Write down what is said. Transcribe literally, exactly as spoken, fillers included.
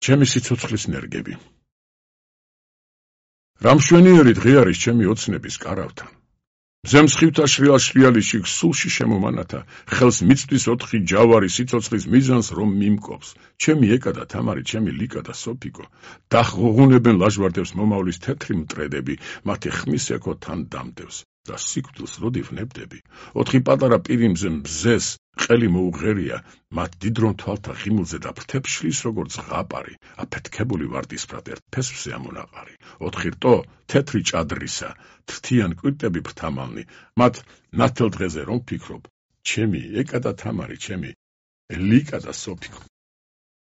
ჩემი სიცოცხლის ნერგები. რა მშვენიერი დღე არის ჩემი ოცნების კარავთან. მზემსხივთა შრიალ-შრიალიში სულში შემომანათა, ხელს მიწვდის ოთხი ჯავარი სიცოცხლის მიზანს რომ მიმკობს. ჩემი ეკა და თამარი, ჩემი ლიკა და სოფიკო, დაღუღუნებენ ლაჟვარდებს მომავლის თეთრი მტრედები, მათი ხმის ეკო თან დამდევს და სიკვდილს როდი ვნებდები. ოთხი პატარა პირიმზე მზეს ყელი მოუღერია, მათ დიდრონ თვალთა ღიმილზე და ფრთებს შლის როგორც ზღაპარი, აფეთქებული ვარდისფრად ერთ ფესვზე ამონაყარი. ოთხი რტო თეთრი ჭადრისა, თრთიან კვირტები ფრთამალნი, მათ ნათელ დღეზე რომ ფიქრობ, ჩემი ეკა და თამარი, ჩემი ლიკა და სოფიკო.